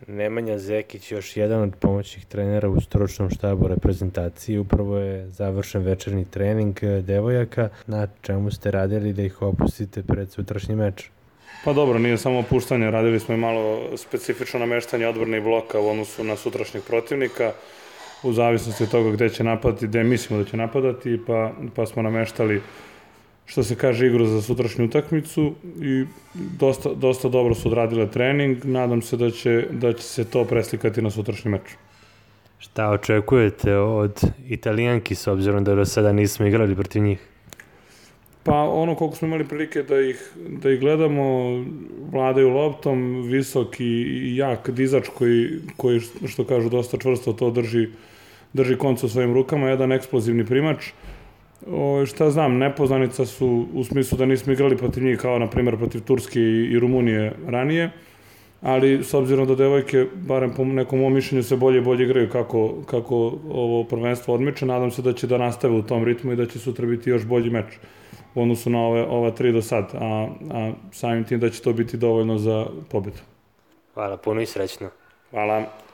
Nemanja Zekić, još jedan od pomoćnih trenera u stručnom štabu reprezentaciji, upravo je završen večernji trening devojaka. Na čemu ste radili da ih opustite pred sutrašnji meč? Pa dobro, nije samo opuštanje, radili smo i malo specifično nameštanje odbrane i bloka u odnosu na sutrašnjeg protivnika, u zavisnosti od toga gde će napadati, gde mislimo da će napadati, pa smo nameštali, što se kaže, igru za sutrašnju utakmicu i dosta dobro su odradile trening. Nadam se da će se to preslikati na sutrašnji meč. Šta očekujete od Italijanki, s obzirom da do sada nismo igrali protiv njih? Pa ono koliko smo imali prilike da ih gledamo, vladaju loptom, visok i jak dizač koji što kažu dosta čvrsto to drži konca u svojim rukama, jedan eksplozivni primač. Šta znam, nepoznanica su u smislu da nismo igrali protiv njih kao na primjer protiv Turske i Rumunije ranije, ali s obzirom da devojke, barem po nekom mom mišljenju, se bolje i bolje igraju kako ovo prvenstvo odmiče, nadam se da će da nastave u tom ritmu i da će sutra biti još bolji meč u odnosu na ova 3 do sad, a samim tim da će to biti dovoljno za pobedu. Hvala puno i srećno. Hvala.